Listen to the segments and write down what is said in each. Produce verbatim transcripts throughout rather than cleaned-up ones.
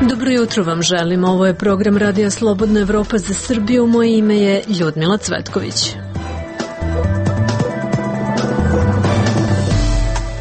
Dobro jutro vam želim. Ovo je program Radija Slobodna Evropa za Srbiju. Moje ime je Ljudmila Cvetković.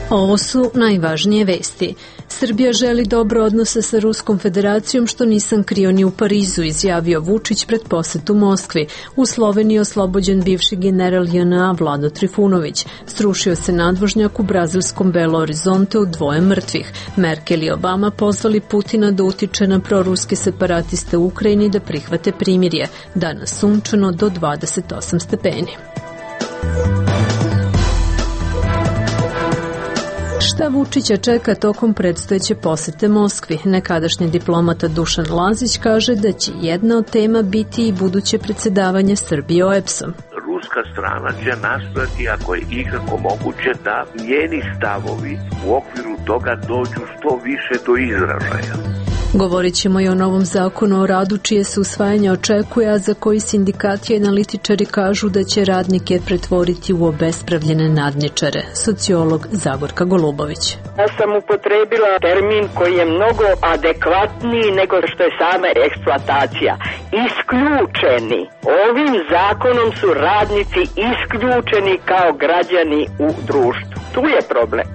Ovo su najvažnije vesti. Srbija želi dobre odnose sa Ruskom federacijom, što nisam krio ni u Parizu, izjavio Vučić pred posetu Moskvi. U Sloveniji oslobođen bivši general J N A Vlado Trifunović. Srušio se nadvožnjak u brazilskom Belo Horizonte u dvoje mrtvih. Merkel i Obama pozvali Putina da utiče na proruske separatiste u Ukrajini da prihvate primirje. Danas sunčano do dvadeset osam stepeni. Šta Vučića čeka tokom predstojeće posete Moskvi? Nekadašnji diplomata Dušan Lazić kaže da će jedna od tema biti i buduće predsedavanje Srbije O E B S-om. Ruska strana će nastojati, ako je ikako moguće, da njeni stavovi u okviru toga dođu što više do izražaja. Govorit ćemo i o novom zakonu o radu, čije se usvajanje očekuje, a za koji sindikati i analitičari kažu da će radnike pretvoriti u obespravljene nadničare. Sociolog Zagorka Golubović. Ja sam upotrebila termin koji je mnogo adekvatniji nego što je sama eksploatacija. Isključeni. Ovim zakonom su radnici isključeni kao građani u društvu. Tu je problem.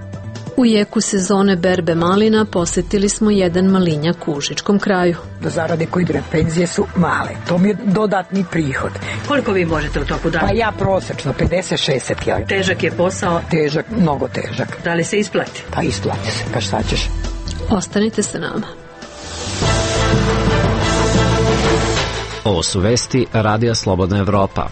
U jeku sezone berbe malina posetili smo jedan malinjak u Užičkom kraju. Zarade koji idu penzije su male. To mi je dodatni prihod. Koliko vi možete u toku dana? Pa ja prosečno, pedeset šezdeset. Težak je posao? Težak, mnogo težak. Da li se isplati? Pa isplati se, pa šta ćeš? Ostanite sa nama. Ovo su vesti Radija Slobodna Evropa.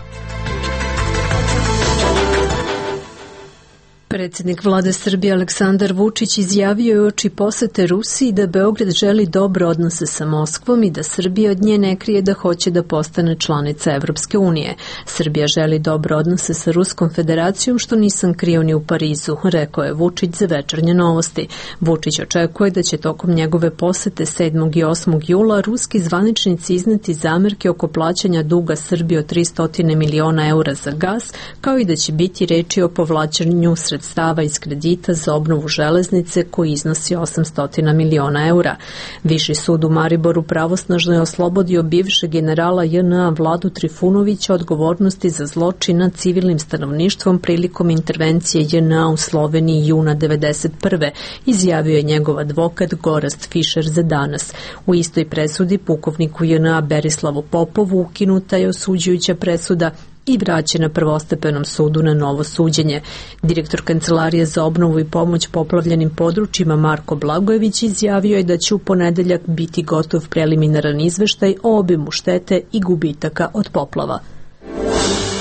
Predsjednik vlade Srbije Aleksandar Vučić izjavio je uoči posete Rusiji da Beograd želi dobre odnose sa Moskvom i da Srbija od nje ne krije da hoće da postane članica Evropske unije. Srbija želi dobre odnose sa Ruskom federacijom, što nisam krio ni u Parizu, rekao je Vučić za Večernje novosti. Vučić očekuje da će tokom njegove posete sedmog i osmog jula ruski zvaničnici izneti zamerke oko plaćanja duga Srbije od tristo miliona eura za gas, kao i da će biti reči o povlačenju sredstava stava iz kredita za obnovu železnice koji iznosi osamsto miliona eura. Viši sud u Mariboru pravosnažno je oslobodio bivšeg generala J N A Vladu Trifunovića odgovornosti za zločin nad civilnim stanovništvom prilikom intervencije J N A u Sloveniji juna devedeset prve. Izjavio je njegov advokat Gorazd Fišer za Danas. U istoj presudi pukovniku J N A Berislavu Popovu ukinuta je osuđujuća presuda i vraćena prvostepenom sudu na novo suđenje. Direktor Kancelarije za obnovu i pomoć poplavljenim područjima Marko Blagojević izjavio je da će u ponedeljak biti gotov preliminaran izveštaj o obimu štete i gubitaka od poplava.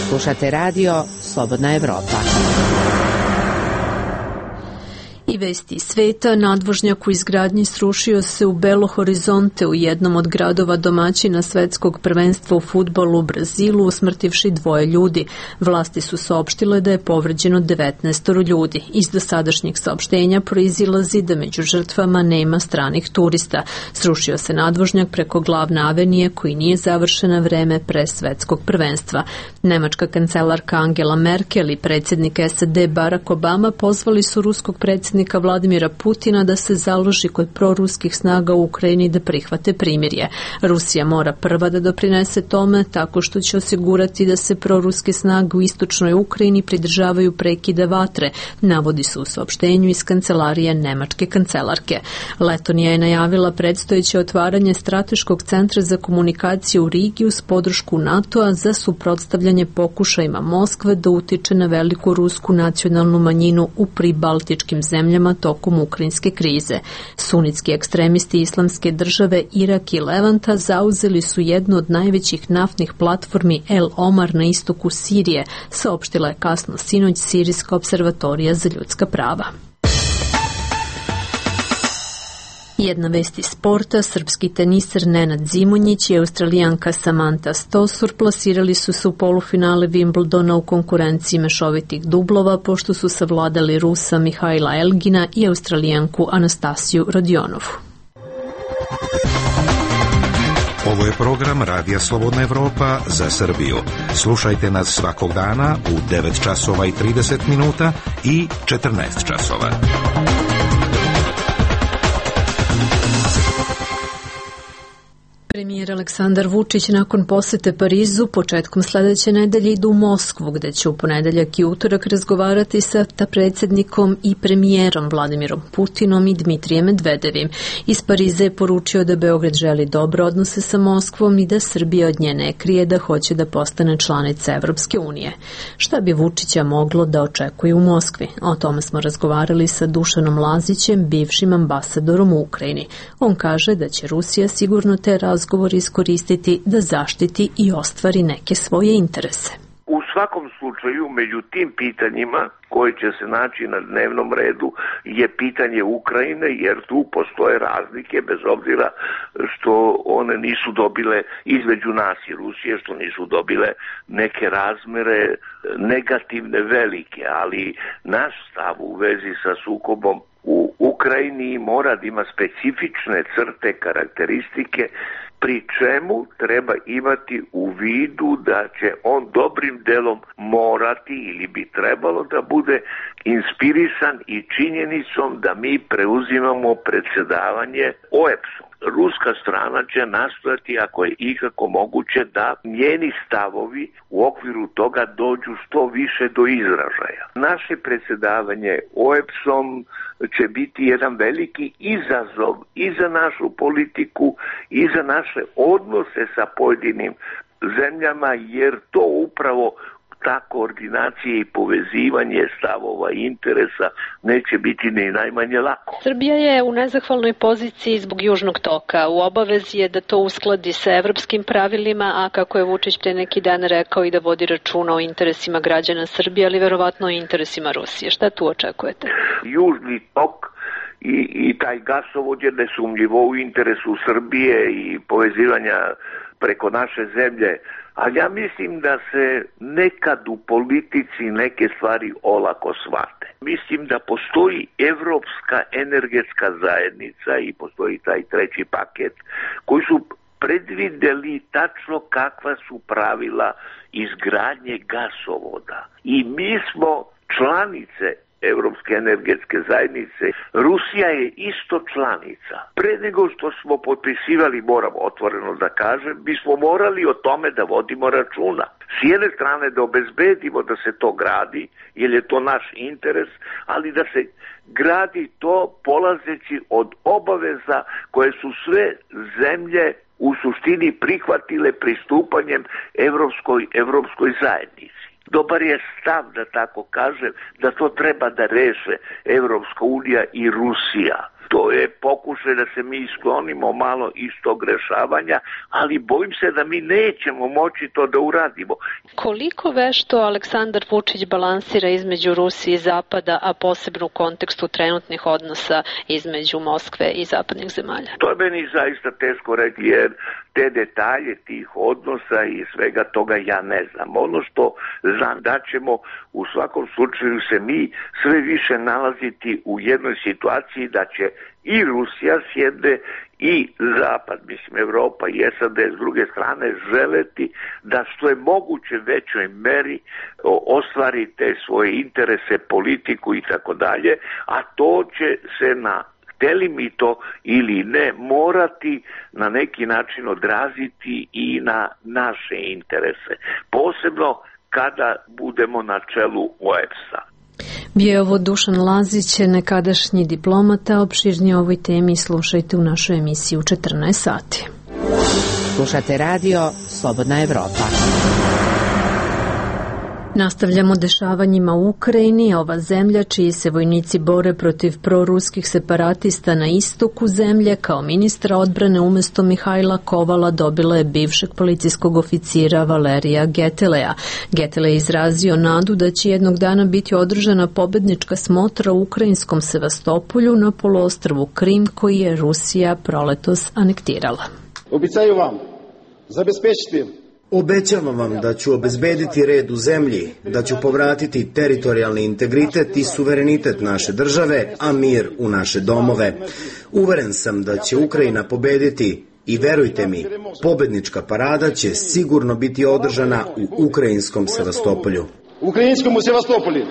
Slušate radio Slobodna Evropa. I vesti sveta, nadvožnjak u izgradnji srušio se u Belo Horizonte, u jednom od gradova domaćina svetskog prvenstva u fudbalu u Brazilu, usmrtivši dvoje ljudi. Vlasti su saopštile da je povređeno devetnaest ljudi. Iz dosadašnjeg saopštenja proizilazi da među žrtvama nema stranih turista. Srušio se nadvožnjak preko glavne avenije koji nije završen na vreme pre svetskog prvenstva. Nemačka kancelarka Angela Merkel i predsjednik S A D Barack Obama pozvali su ruskog predsjednika Vladimira Putina da se založi kod proruskih snaga u Ukrajini da prihvate primirje. Rusija mora prva da doprinese tome tako što će osigurati da se proruske snage u istočnoj Ukrajini pridržavaju prekida vatre, navodi se u saopštenju iz kancelarije nemačke kancelarke. Letonija je najavila predstojeće otvaranje strateškog centra za komunikaciju u Rigi uz podršku NATO-a za suprotstavljanje pokušajima Moskve da utiče na veliku rusku nacionalnu manjinu u pribaltičkim zemljama tokom ukrajinske krize. Sunitski ekstremisti Islamske države Irak i Levanta zauzeli su jednu od najvećih naftnih platformi El Omar na istoku Sirije, saopštila je kasno sinoć Sirijska observatorija za ljudska prava. Jedna vest iz sporta, srpski teniser Nenad Zimonjić i australijanka Samantha Stosur plasirali su se u polufinale Wimbledona u konkurenciji mešovitih dublova, pošto su savladali Rusa Mihajla Elgina i australijanku Anastasiju Rodionovu. Ovo je program Radija Slobodna Evropa za Srbiju. Slušajte nas svakog dana u devet časova i trideset minuta i četrnaest časova. Premijer Aleksandar Vučić nakon posete Parizu početkom sledeće nedelje ide u Moskvu, gde će u ponedeljak i utorak razgovarati sa predsjednikom i premijerom Vladimirom Putinom i Dmitrijem Medvedevim. Iz Pariza je poručio da Beograd želi dobre odnose sa Moskvom i da Srbija od nje ne krije da hoće da postane članica Evropske unije. Šta bi Vučića moglo da očekuje u Moskvi? O tome smo razgovarali sa Dušanom Lazićem, bivšim ambasadorom u Ukrajini. On kaže da će Rusija sigurno te razgovor iskoristiti da zaštiti i ostvari neke svoje interese. U svakom slučaju, među tim pitanjima koje će se naći na dnevnom redu je pitanje Ukrajine, jer tu postoje razlike, bez obzira što one nisu dobile između nas i Rusije, što nisu dobile neke razmere negativne velike, ali naš stav u vezi sa sukobom u Ukrajini mora da ima specifične crte, karakteristike, pri čemu treba imati u vidu da će on dobrim delom morati ili bi trebalo da bude inspirisan i činjenicom da mi preuzimamo predsjedavanje O E B S-om. Ruska strana će nastojati, ako je ikako moguće, da njeni stavovi u okviru toga dođu što više do izražaja. Naše predsjedavanje O E B S-om će biti jedan veliki izazov i za našu politiku i za naše odnose sa pojedinim zemljama, jer to upravo ta koordinacija i povezivanje stavova i interesa neće biti ni najmanje lako. Srbija je u nezahvalnoj poziciji zbog Južnog toka. U obavezi je da to uskladi sa evropskim pravilima, a kako je Vučić pre neki dan rekao i da vodi računa o interesima građana Srbije, ali verovatno i interesima Rusije. Šta tu očekujete? Južni tok i, i taj gasovod je nesumnjivo u interesu Srbije i povezivanja preko naše zemlje. Ali ja mislim da se nekad u politici neke stvari olako shvate. Mislim da postoji Evropska energetska zajednica i postoji taj treći paket koji su predvideli tačno kakva su pravila izgradnje gasovoda. I mi smo članice Evropske energetske zajednice. Rusija je isto članica. Pre nego što smo potpisivali, moram otvoreno da kažem, mi smo morali o tome da vodimo računa. S jedne strane da obezbedimo da se to gradi, jer je to naš interes, ali da se gradi to polazeći od obaveza koje su sve zemlje u suštini prihvatile pristupanjem Evropskoj, Evropskoj zajednici. Dobar je stav, da tako kažem, da to treba da reše Evropska unija i Rusija. To je pokušaj da se mi isklonimo malo iz tog rešavanja, ali bojim se da mi nećemo moći to da uradimo. Koliko vešto Aleksandar Vučić balansira između Rusije i Zapada, a posebno u kontekstu trenutnih odnosa između Moskve i zapadnih zemalja? To je meni zaista teško reći, jer te detalje tih odnosa i svega toga ja ne znam. Ono što znam da ćemo u svakom slučaju se mi sve više nalaziti u jednoj situaciji da će i Rusija s jedne i Zapad, mislim Evropa i S A D s druge strane želeti da što je moguće većoj meri ostvari te svoje interese, politiku i tako dalje, a to će se na hteli mi to ili ne morati na neki način odraziti i na naše interese. Posebno kada budemo na čelu O E B S-a. Bio je ovo Dušan Lazić, nekadašnji diplomata. Opširnije o ovoj temi slušajte u našoj emisiji u četrnaest sati. Slušate radio Slobodna Evropa. Nastavljamo dešavanjima u Ukrajini. Ova zemlja, čiji se vojnici bore protiv proruskih separatista na istoku zemlje, kao ministra odbrane umesto Mihajla Kovala dobila je bivšeg policijskog oficira Valerija Getelea. Getele je izrazio nadu da će jednog dana biti održana pobednička smotra u ukrajinskom Sevastopolju na poluostrvu Krim, koji je Rusija proletos anektirala. Običaju vam zabezpečiti. Obećavam vam da ću obezbediti red u zemlji, da ću povratiti teritorijalni integritet i suverenitet naše države, a mir u naše domove. Uveren sam da će Ukrajina pobediti i verujte mi, pobednička parada će sigurno biti održana u ukrajinskom Sevastopolju. Ukrajinskom Sevastopolju.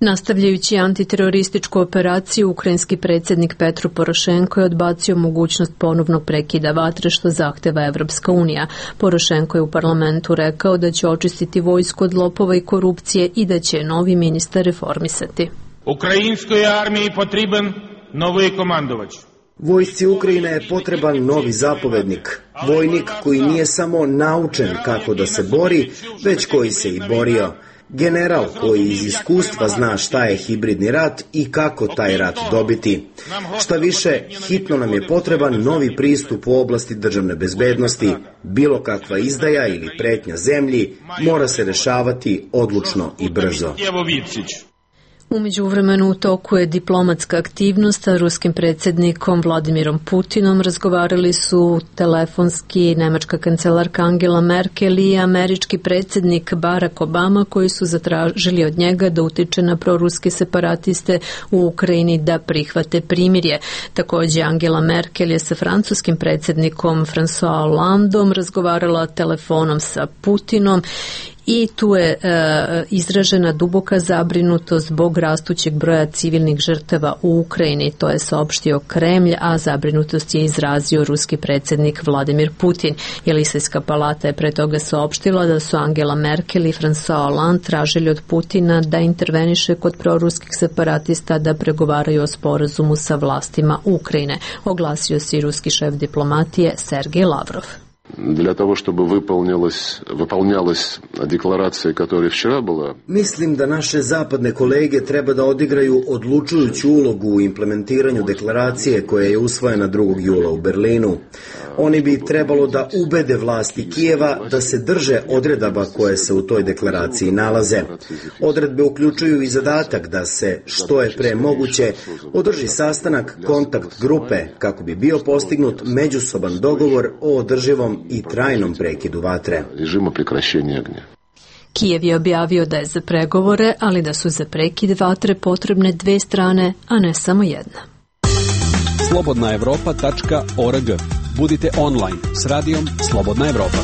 Nastavljajući antiterorističku operaciju, ukrajinski predsjednik Petro Porošenko je odbacio mogućnost ponovnog prekida vatre što zahteva Evropska unija. Porošenko je u parlamentu rekao da će očistiti vojsku od lopova i korupcije i da će novi ministar reformisati. Ukrajinskoj armiji potreban novi komandovač. Vojsci Ukrajine je potreban novi zapovednik, vojnik koji nije samo naučen kako da se bori, već koji se i borio. General koji iz iskustva zna šta je hibridni rat i kako taj rat dobiti. Šta više, hitno nam je potreban novi pristup u oblasti državne bezbednosti. Bilo kakva izdaja ili pretnja zemlji mora se rešavati odlučno i brzo. U međuvremenu u toku je diplomatska aktivnost sa ruskim predsjednikom Vladimirom Putinom. Razgovarali su telefonski nemačka kancelarka Angela Merkel i američki predsjednik Barack Obama, koji su zatražili od njega da utiče na proruske separatiste u Ukrajini da prihvate primirje. Također Angela Merkel je sa francuskim predsjednikom François Hollandom razgovarala telefonom sa Putinom. I tu je e, izražena duboka zabrinutost zbog rastućeg broja civilnih žrtava u Ukrajini, to je saopštio Kremlj, a zabrinutost je izrazio ruski predsjednik Vladimir Putin. Jelisejska palata je pre toga saopštila da su Angela Merkel i François Hollande tražili od Putina da interveniše kod proruskih separatista da pregovaraju o sporazumu sa vlastima Ukrajine. Oglasio se i ruski šef diplomatije Sergej Lavrov. Для того, чтобы выполнялась, выполнялась декларация, которая вчера была. Mislim da naše zapadne kolege treba da odigraju odlučujuću ulogu u implementiranju deklaracije koja je usvojena drugog jula u Berlinu. Oni bi trebalo da ubede vlasti Kijeva da se drže odredaba koje se u toj deklaraciji nalaze. Odredbe uključuju i zadatak da se, što je pre moguće, održi sastanak kontakt grupe kako bi bio postignut međusoban dogovor o održivom i trajnom prekidu vatre. Kijev je objavio da je za pregovore, ali da su za prekid vatre potrebne dve strane, a ne samo jedna. slobodna evropa tačka org. Budite online s radijom Slobodna Evropa.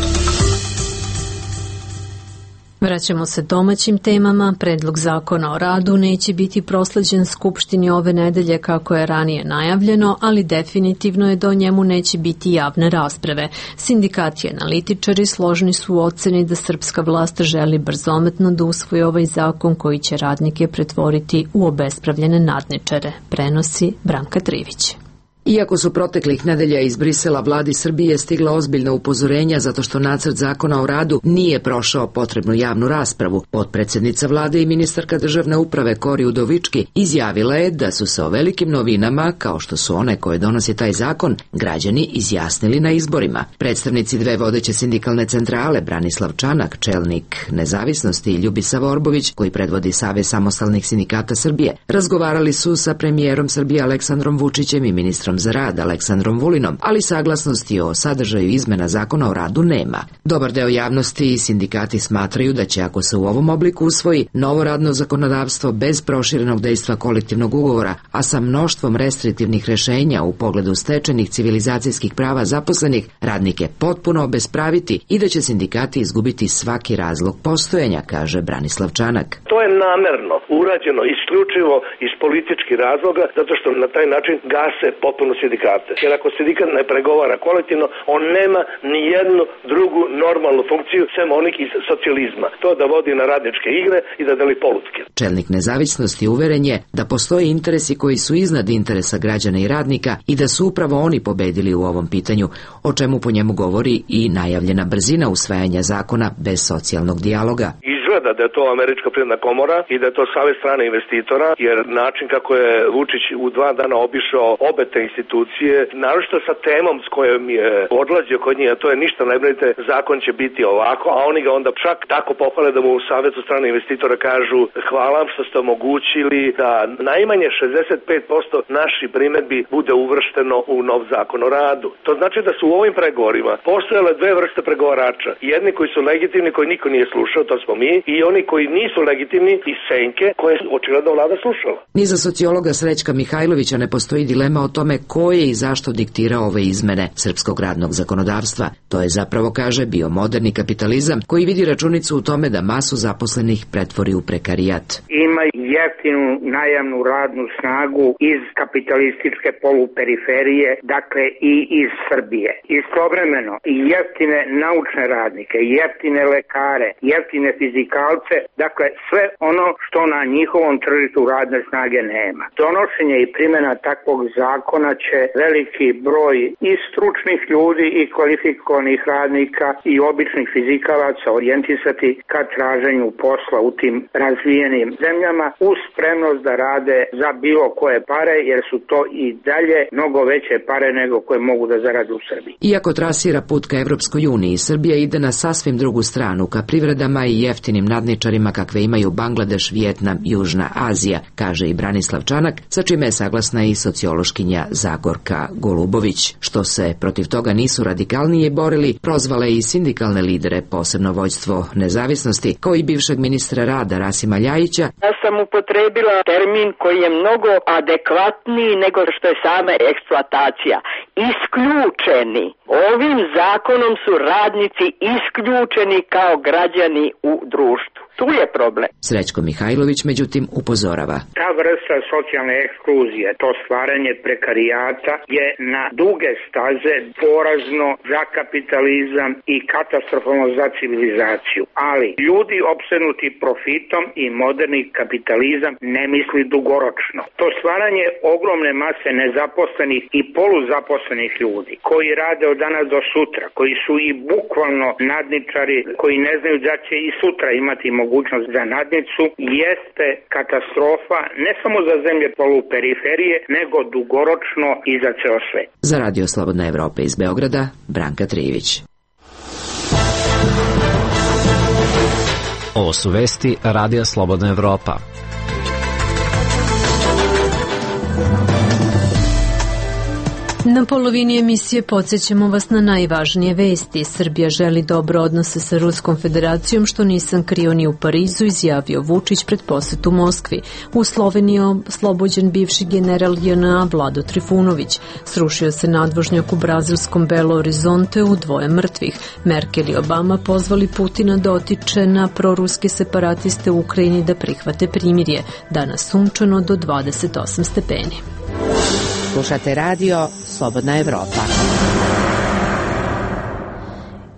Vraćamo se domaćim temama. Predlog zakona o radu neće biti prosleđen Skupštini ove nedelje kako je ranije najavljeno, ali definitivno je da o njemu neće biti javne rasprave. Sindikati i analitičari složni su u oceni da srpska vlast želi brzometno da usvoji ovaj zakon koji će radnike pretvoriti u obespravljene nadničare, prenosi Branka Trivić. Iako su proteklih nedelja iz Brisela vladi Srbije stigla ozbiljna upozorenja zato što nacrt zakona o radu nije prošao potrebnu javnu raspravu, potpredsjednica vlade i ministarka državne uprave Kori Udovički izjavila je da su se o velikim novinama, kao što su one koje donosi taj zakon, građani izjasnili na izborima. Predstavnici dve vodeće sindikalne centrale, Branislav Čanak, čelnik Nezavisnosti, i Ljubisa Vorbović, koji predvodi Savez samostalnih sindikata Srbije, razgovarali su sa premijerom Srbije Aleksandrom Vučićem i ministrom za rad Aleksandrom Vulinom, ali saglasnosti o sadržaju izmena zakona o radu nema. Dobar deo javnosti i sindikati smatraju da će, ako se u ovom obliku usvoji, novo radno zakonodavstvo bez proširenog dejstva kolektivnog ugovora, a sa mnoštvom restriktivnih rešenja u pogledu stečenih civilizacijskih prava zaposlenih, radnike potpuno obespraviti i da će sindikati izgubiti svaki razlog postojanja, kaže Branislav Čanak. To je namerno urađeno isključivo iz političkih razloga, zato što na taj način gase potpuno sindikate. Jer ako sindikat ne pregovara kolektivno, on nema ni jednu drugu normalnu funkciju sem onih iz socijalizma. To da vodi na radničke igre i da deli polutke. Čelnik Nezavisnosti uveren je da postoje interesi koji su iznad interesa građana i radnika i da su upravo oni pobedili u ovom pitanju, o čemu po njemu govori i najavljena brzina usvajanja zakona bez socijalnog dijaloga. Izgleda da je to Američka privredna komora i da je to savez strane investitora, jer način kako je Vučić u dva dana obišao obe te institucije, naročito sa temom s kojom je odlazio kod njih, a to je ništa ne brinite, zakon će biti ovako, a oni ga onda čak tako pohvale da mu u savezu strane investitora kažu hvala vam što ste omogućili da najmanje šezdeset pet posto naših primedbi bude uvršteno u nov zakon o radu. To znači da su u ovim pregovorima postojale dve vrste pregovarača. Jedni koji su legitimni, koji niko nije slušao, to smo mi, i oni koji nisu legitimni iz senke koje očigledno vlada slušala. Ni za sociologa Srećka Mihajlovića ne postoji dilema o tome ko je i zašto diktirao ove izmene srpskog radnog zakonodavstva. To je zapravo, kaže, bio moderni kapitalizam koji vidi računicu u tome da masu zaposlenih pretvori u prekarijat. Ima jeftinu najamnu radnu snagu iz kapitalističke poluperiferije, dakle i iz Srbije. Istovremeno i jeftine naučne radnike, jeftine lekare, jeftine fizikalce, dakle sve ono što na njihovom tržištu radne snage nema. Donošenje i primjena takvog zakona će veliki broj i stručnih ljudi i kvalifikovanih radnika i običnih fizikalaca orijentisati ka traženju posla u tim razvijenim zemljama uz spremnost da rade za bilo koje pare, jer su to i dalje mnogo veće pare nego koje mogu da zarade u Srbiji. Iako trasira put ka Evropskoj uniji, Srbija ide na sasvim drugu stranu, ka privredama i jeftinim nadničarima kakve imaju Bangladeš, Vijetnam, Južna Azija, kaže i Branislav Čanak, sa čime je saglasna i sociološkinja Zagorka Golubović. Što se protiv toga nisu radikalnije borili, prozvale i sindikalne lidere, posebno vođstvo Nezavisnosti, kao i bivšeg ministra rada Rasima Ljajića. Ja sam upotrebila termin koji je mnogo adekvatniji nego što je sama eksploatacija. Isključeni. Ovim zakonom su radnici isključeni kao građani u društvu. Tu je problem. Srećko Mihajlović, međutim, upozorava. Ta vrsta socijalne ekskluzije, to stvaranje prekarijata je na duge staze porazno za kapitalizam i katastrofalno za civilizaciju. Ali ljudi opsednuti profitom i moderni kapitalizam ne misli dugoročno. To stvaranje ogromne mase nezaposlenih i poluzaposlenih ljudi koji rade od danas do sutra, koji su i bukvalno nadničari, koji ne znaju da će i sutra imati mogućnost mogućnost za nadnicu, jeste katastrofa ne samo za zemlje poluperiferije, nego dugoročno i za ceo svet. Za Radio Slobodna Evropa iz Beograda, Branka Trijević. Ovo su vesti Radija Slobodna Evropa. Na polovini emisije podsjećamo vas na najvažnije vesti. Srbija želi dobro odnose sa Ruskom federacijom, što nisam krio ni u Parizu, izjavio Vučić pred posetu Moskvi. U Sloveniji oslobođen bivši general J N A Vlado Trifunović. Srušio se nadvožnjak u brazilskom Belo Horizonteu, dvoje mrtvih. Merkel i Obama pozvali Putina da otiče na proruske separatiste u Ukrajini da prihvate primirje. Danas sunčano do dvadeset osam stepeni. Slušate radio Slobodna Evropa.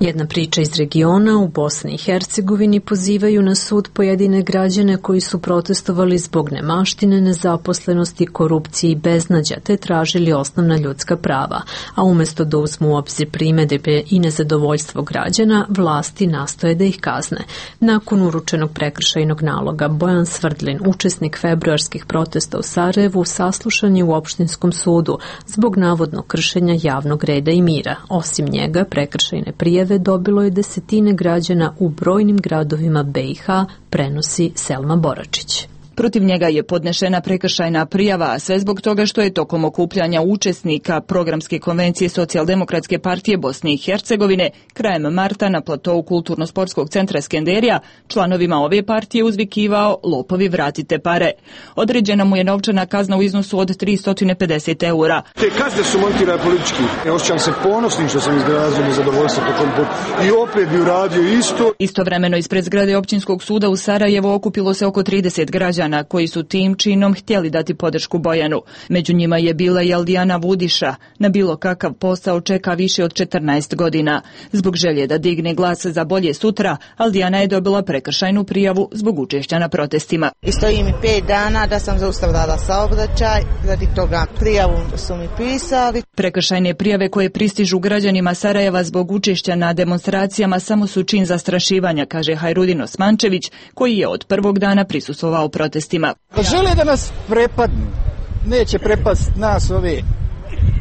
Jedna priča iz regiona. U Bosni i Hercegovini pozivaju na sud pojedine građane koji su protestovali zbog nemaštine, nezaposlenosti, korupcije i beznađa, te tražili osnovna ljudska prava. A umesto da uzmu u obzir primedbe i nezadovoljstvo građana, vlasti nastoje da ih kazne. Nakon uručenog prekršajnog naloga, Bojan Svrdlin, učesnik februarskih protesta u Sarajevu, saslušan je u opštinskom sudu zbog navodnog kršenja javnog reda i mira. Osim njega, prekršajne prijave dobilo je desetine građana u brojnim gradovima B i H, prenosi Selma Boračić. Protiv njega je podnešena prekršajna prijava, a sve zbog toga što je tokom okupljanja učesnika programske konvencije Socijaldemokratske partije Bosne i Hercegovine krajem marta na platovu Kulturno-sportskog centra Skenderija članovima ove partije uzvikivao "Lopovi, vratite pare". Određena mu je novčana kazna u iznosu od tristo pedeset eura. Te kazne su montirane politički. Ja osjećam se ponosnim što sam izrazio nezadovoljstvo tokom puta. I opet bi uradio isto. Istovremeno ispred zgrade općinskog suda u Sarajevo okupilo se oko trideset građana koji su tim činom htjeli dati podršku Bojanu. Među njima je bila i Aldijana Vudiša. Na bilo kakav posao čeka više od četrnaest godina. Zbog želje da digne glas za bolje sutra, Aldijana je dobila prekršajnu prijavu zbog učešća na protestima. I stoji mi pet dana da sam zaustavljala saobraćaj, radi toga prijavu su mi pisali. Prekršajne prijave koje pristižu građanima Sarajeva zbog učešća na demonstracijama samo su čin zastrašivanja, kaže Hajrudin Osmančević, koji je od prvog dana prisustvovao protestima. Žele da nas prepadnu, neće prepast nas ove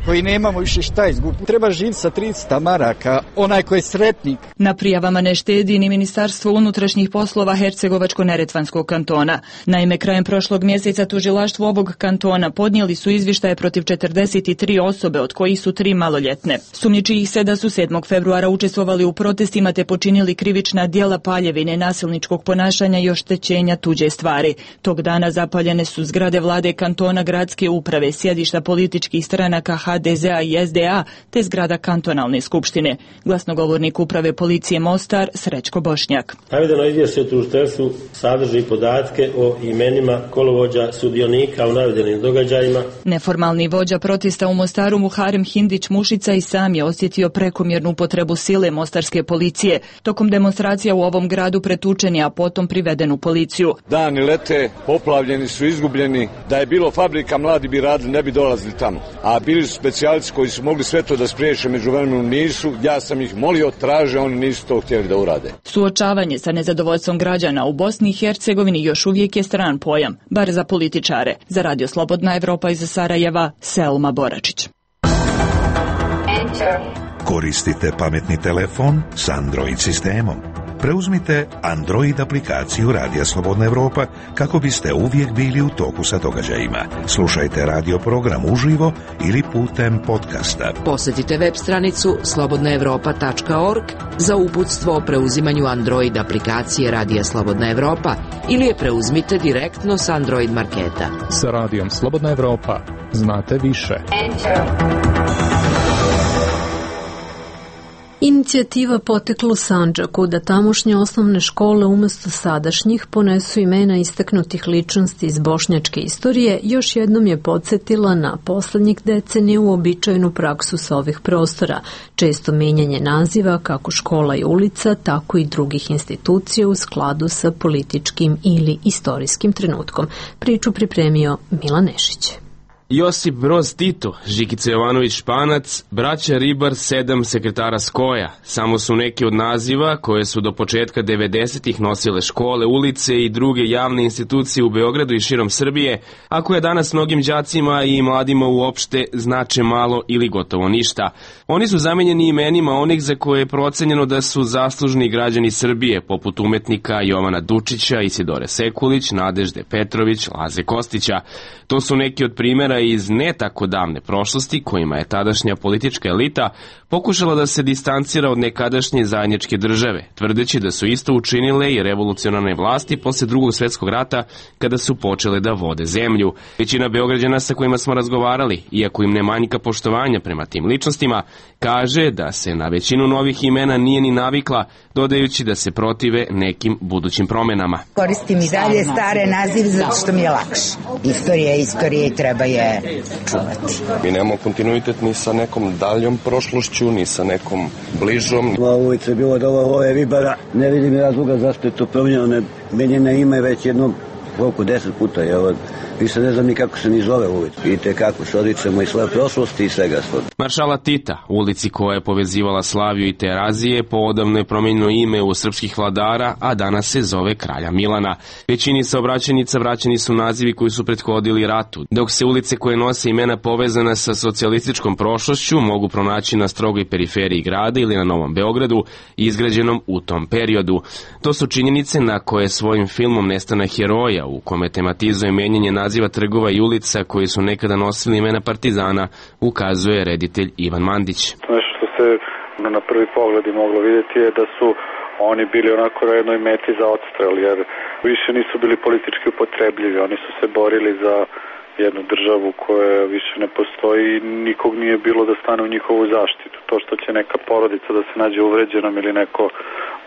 koji nemamo više šta izgubiti. Treba živjeti sa tristo maraka, onaj koji je sretnik. Na prijavama ne štedi ni Ministarstvo unutrašnjih poslova Hercegovačko-neretvanskog kantona. Naime, krajem prošlog mjeseca tužilaštvo ovog kantona podnijeli su izvještaje protiv četrdeset tri osobe, od kojih su tri maloljetne. Sumnjiči ih se da su sedmog februara učestvovali u protestima te počinili krivična djela paljevine, nasilničkog ponašanja i oštećenja tuđe stvari. Tog dana zapaljene su zgrade vlade kantona, gradske uprave, sjedišta političkih stranaka ha de zea i es de a te zgrada kantonalne skupštine. Glasnogovornik uprave policije Mostar Srećko Bošnjak. Navedeno izvješće o tužiteljstvu sadrži podatke o imenima kolovođa sudionika u navedenim događajima. Neformalni vođa protesta u Mostaru Muharem Hindić Mušica i sam je osjetio prekomjernu upotrebu sile mostarske policije. Tokom demonstracija u ovom gradu pretučen je, a potom priveden u policiju. Dani lete, poplavljeni su, izgubljeni. Da je bilo fabrika, mladi bi radili, ne bi dolazili tamo. A bili su specijalisti koji su mogli sve to da spriješe, međuvremenu nisu. Ja sam ih molio, traže, oni nisu to htjeli da urade. Suočavanje sa nezadovoljstvom građana u Bosni i Hercegovini još uvijek je stran pojam, bar za političare. Za Radio Slobodna Evropa iz Sarajeva, Selma Boračić. Koristite pametni telefon s Android sistemom. Preuzmite Android aplikaciju Radija Slobodna Evropa kako biste uvijek bili u toku sa događajima. Slušajte radio program uživo ili putem podcasta. Posjetite web stranicu slobodna evropa tačka org za uputstvo o preuzimanju Android aplikacije Radija Slobodna Evropa ili je preuzmite direktno s Android marketa. Sa Radijom Slobodna Evropa znate više. Inicijativa potekla u Sandžaku da tamošnje osnovne škole umjesto sadašnjih ponesu imena istaknutih ličnosti iz bošnjačke istorije, još jednom je podsjetila na poslednjih decenija uobičajenu praksu sa ovih prostora, često menjanje naziva kako škola i ulica, tako i drugih institucija u skladu sa političkim ili istorijskim trenutkom. Priču pripremio Milan Nešić. Josip Broz Tito, Žikica Jovanović Španac, braća Ribar, sedam sekretara Skoja. Samo su neki od naziva koje su do početka devedesetih nosile škole, ulice i druge javne institucije u Beogradu i širom Srbije, a koje danas mnogim đacima i mladima uopšte znače malo ili gotovo ništa. Oni su zamenjeni imenima onih za koje je procenjeno da su zaslužni građani Srbije, poput umetnika Jovana Dučića, Isidore Sekulić, Nadežde Petrović, Laze Kostića. To su neki od primjera iz ne tako davne prošlosti kojima je tadašnja politička elita pokušala da se distancira od nekadašnje zajedničke države, tvrdeći da su isto učinile i revolucionarne vlasti posle drugog svjetskog rata kada su počele da vode zemlju. Većina Beograđana sa kojima smo razgovarali, iako im ne manjka poštovanja prema tim ličnostima, kaže da se na većinu novih imena nije ni navikla, dodajući da se protive nekim budućim promenama. Koristim i dalje stare nazive zato što mi je lakše. Istorija je istorija i treba je čuvati. Mi nemamo kontinuitet ni sa nekom daljom prošlošću, ni sa nekom bližom. Ova ulica je bilo od ove Ribara. Ne vidim razloga zašto je to promijenjeno. Menjena ime već jednom koliko deset puta je ovo. Više ne znam ni kako se ni zove ulica. Vidite kako se odričemo i svoje prošlosti i svega svog. Maršala Tita, ulici koja je povezivala Slaviju i Terazije, poodavno je promijenilo ime u srpskih vladara, a danas se zove Kralja Milana. Većini saobraćajnica vraćeni su nazivi koji su prethodili ratu, dok se ulice koje nose imena povezana sa socijalističkom prošlošću mogu pronaći na strogoj periferiji grada ili na Novom Beogradu, izgrađenom u tom periodu. To su činjenice na koje svojim filmom Nestanak heroja, u kome tematizuje menjanje naziva trgova i ulica koji su nekada nosili imena partizana, ukazuje reditelj Ivan Mandić. Nešto što se na prvi pogled i moglo vidjeti je da su oni bili onako na jednoj meti za odstrel, jer više nisu bili politički upotrebljivi. Oni su se borili za jednu državu koja više ne postoji i nikog nije bilo da stane u njihovu zaštitu. To što će neka porodica da se nađe uvređenom ili neko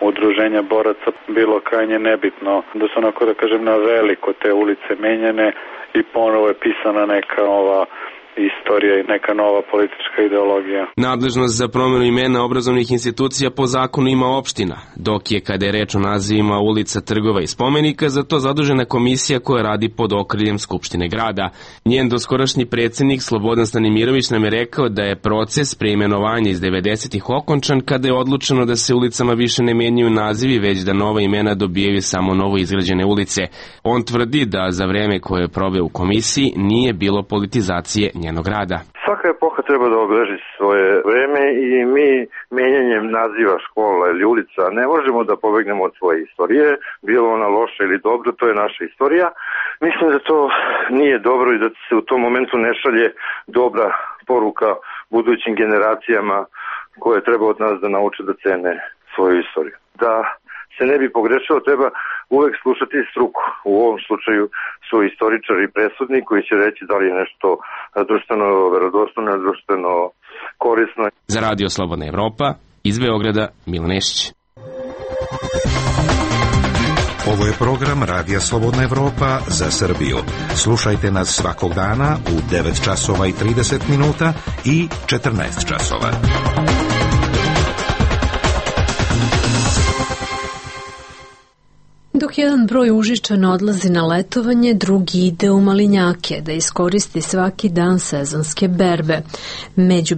udruženja boraca bilo krajnje nebitno. Da su onako, da kažem, na veliko te ulice menjene i ponovo je pisana neka ova istorija i neka nova politička ideologija. Nadležnost za promjenu imena obrazovnih institucija po zakonu ima opština, dok je, kada je reč o nazivima ulica, trgova i spomenika, za to zadužena komisija koja radi pod okriljem Skupštine grada. Njen doskorašnji predsjednik Slobodan Stanimirović nam je rekao da je proces preimenovanja iz devedesetih okončan kada je odlučeno da se ulicama više ne menjaju nazivi, već da nova imena dobijaju samo novo izgrađene ulice. On tvrdi da za vreme koje je proveo u komisiji nije bilo politizacije njenog rada. Svaka epoha treba da obeleži svoje vreme i mi menjanjem naziva škola ili ulica ne možemo da pobegnemo od svoje istorije, bilo ona loša ili dobra, to je naša istorija. Mislim da to nije dobro i da se u tom momentu ne šalje dobra poruka budućim generacijama koje treba od nas da nauče da cene svoju istoriju. Da se ne bi pogrešilo, treba uvek slušati struku. U ovom slučaju su istoričari presudni koji će reći da li je nešto društveno verodostojno, društveno korisno. Za Radio Slobodna Evropa, iz Beograda, Milan Nešić. Ovo je program Radija Slobodna Evropa za Srbiju. Slušajte nas svakog dana u devet časova i trideset minuta i četrnaest časova. Dok jedan broj Užičana odlazi na letovanje, drugi ide u Malinjake da iskoristi svaki dan sezonske berbe. Među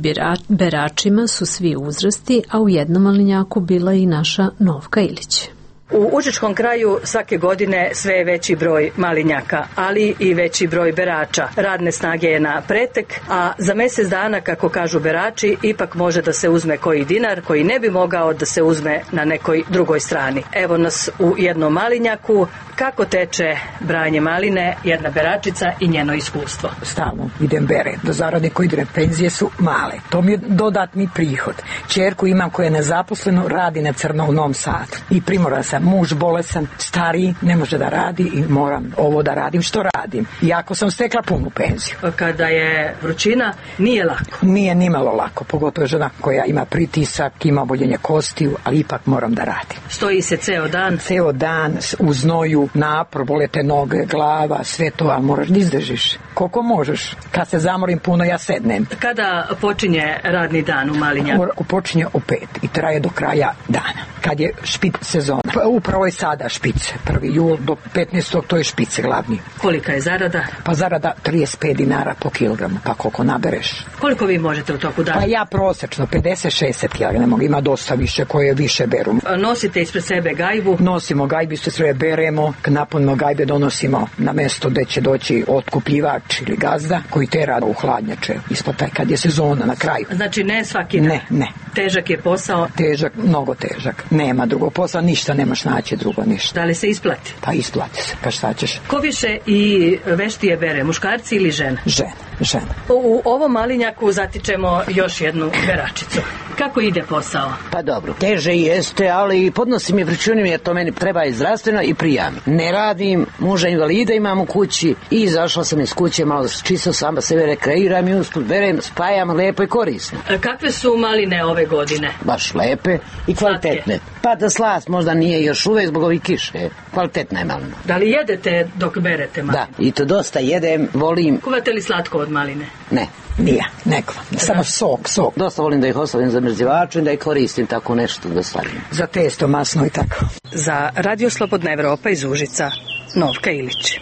beračima su svi uzrasti, a u jednom Malinjaku bila i naša Novka Ilić. U Užičkom kraju svake godine sve je veći broj malinjaka, ali i veći broj berača. Radne snage je na pretek, a za mjesec dana, kako kažu berači, ipak može da se uzme koji dinar koji ne bi mogao da se uzme na nekoj drugoj strani. Evo nas u jednom malinjaku. Kako teče branje maline, jedna beračica i njeno iskustvo? Stalno idem bere. Do zarade koje ide penzije su male. To mi je dodatni prihod. Ćerku imam koja je nezaposleno, radi na crno u Novom Sadu. I primoran sam, muž bolesan, stariji, ne može da radi i moram ovo da radim što radim. Iako sam stekla punu penziju. Kada je vrućina, nije lako? Nije nimalo lako, pogotovo žena koja ima pritisak, ima oboljenje kostiju, ali ipak moram da radim. Stoji se ceo dan? Ceo dan, u znoju, napor, bole te noge, glava, sve to, ali moraš da izdržiš. Koliko možeš. Kad se zamorim puno, ja sednem. Kada počinje radni dan u Malinjaku? Počinje u pet i traje do kraja dana. Kad je špic sezona. Pa upravo je sada špice. prvi jul do petnaestog to je špice glavni. Kolika je zarada? Pa zarada trideset pet dinara po kilogramu, pa koliko nabereš. Koliko vi možete u toku dana? Pa ja prosečno pedeset šezdeset kilograma, ima dosta više koje više beru. Nosite ispred sebe gajbu? Nosimo gajbu, se sve beremo, napunimo gajbe, donosimo na mesto gde će doći otkupljivač ili gazda koji tera u hladnjače ispod taj kad je sezona na kraju. Znači ne svaki dan? Ne, ne. Težak je posao? Težak, mnogo težak. Nema drugog posla, ništa nemaš naći drugo, ništa. Da li se isplati? Pa isplati se, pa šta ćeš? Ko više i veštije bere, muškarci ili žene? Žene, žene. U ovom Malinjaku zatičemo još jednu beračicu. Kako ide posao? Pa dobro, teže jeste, ali podnosim i vrućunim jer to meni treba i zdravstveno i prijami. Ne radim, muža invalida imam u kući i izašla sam iz kuće, malo čisto sama sebe rekreiram i usput berem, spajam lepo i korisno. A kakve su maline ove godine? Baš lepe i kvalitetne. Slatke. Pa da slast možda nije još uvek zbog ovih kiše. Kvalitetna je malina. Da li jedete dok berete maline? Da, i to dosta jedem, volim. Kuvate li slatko od maline? Ne. Nije, neko. Samo sok, sok. Dosta volim da ih ostavim za mrzivaču i da ih koristim tako nešto da stavim. Za testo masno i tako. Za Radio Slobodna Evropa iz Užica, Novka Ilić.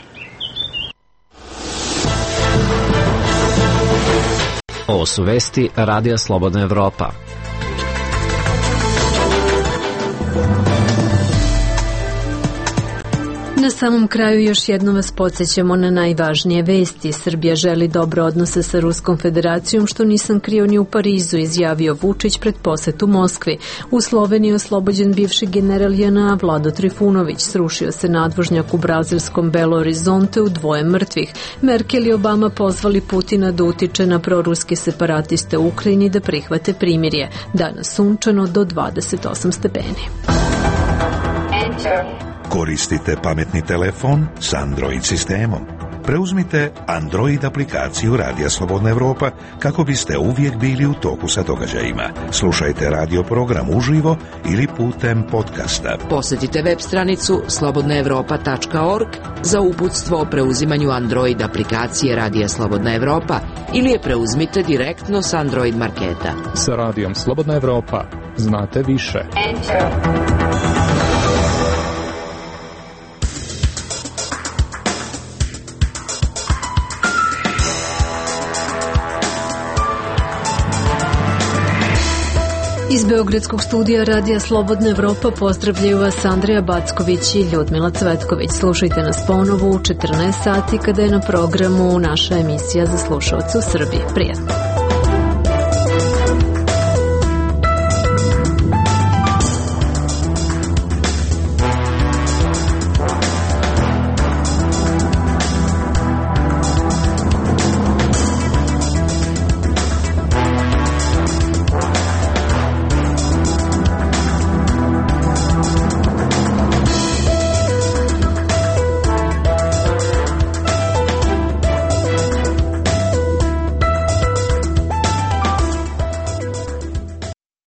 Ovo su vesti Radija Slobodna Evropa. Na samom kraju još jednom vas podsjećamo na najvažnije vesti. Srbija želi dobre odnose sa Ruskom federacijom, što nisam krio ni u Parizu, izjavio Vučić pred posetu Moskvi. U Sloveniji oslobođen bivši general J N A Vlado Trifunović. Srušio se nadvožnjak u brazilskom Belo Horizonteu, dvoje mrtvih. Merkel i Obama pozvali Putina da utiče na proruske separatiste u Ukrajini da prihvate primirje. Danas sunčano do dvadeset osam stepeni. Koristite pametni telefon s Android sistemom. Preuzmite Android aplikaciju Radija Slobodna Evropa kako biste uvijek bili u toku sa događajima. Slušajte radio program uživo ili putem podcasta. Posjetite web stranicu slobodna evropa tačka org za uputstvo o preuzimanju Android aplikacije Radija Slobodna Evropa ili je preuzmite direktno s Android marketa. Sa Radijom Slobodna Evropa znate više. Enter. Iz Beogradskog studija Radija Slobodna Evropa pozdravljaju vas Andreja Backović i Ljudmila Cvetković. Slušajte nas ponovo u četrnaest sati kada je na programu naša emisija za slušaoce u Srbiji. Prijatno.